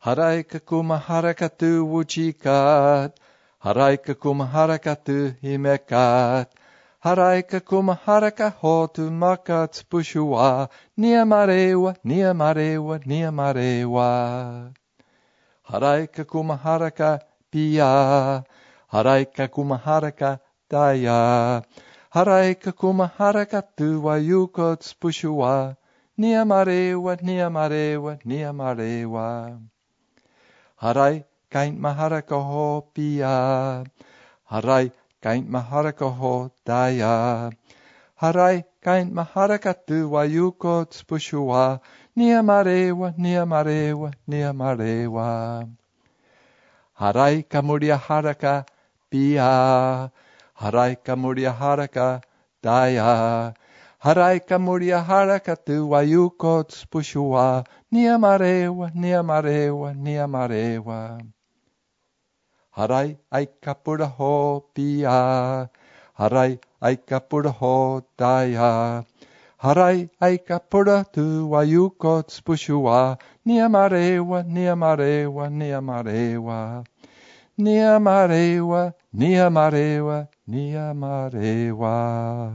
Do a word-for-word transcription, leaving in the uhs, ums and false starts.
Haraika kumaharakatu wuchikat. Haraika kumaharakatu himekat. Haraika kumaharaka hotu makat pushua. Niamarewa, niamarewa, niamarewa. Haraika kumaharaka pia. Haraika kumaharaka daya. Haraika kumaharaka tuwa yukot pushua. Niamarewa, niamarewa, niamarewa. Harai kaint maharaka ho pia. Harai kaint maharaka ho daya. Harai kaint maharaka tuwa yukot pushua. Niamarewa, niamarewa, niamarewa. Harai kamuria haraka pia. Harai kamuria haraka daya. Harai kamuria haraka tuwa yukot pushua. Niamarewa, niamarewa, niamarewa. Harai aikapura ho pia. Harai aikapura ho daya. Harai aikapura tuwa yukot pushua. Niamarewa, niamarewa, niamarewa. Niamarewa, niamarewa, niamarewa.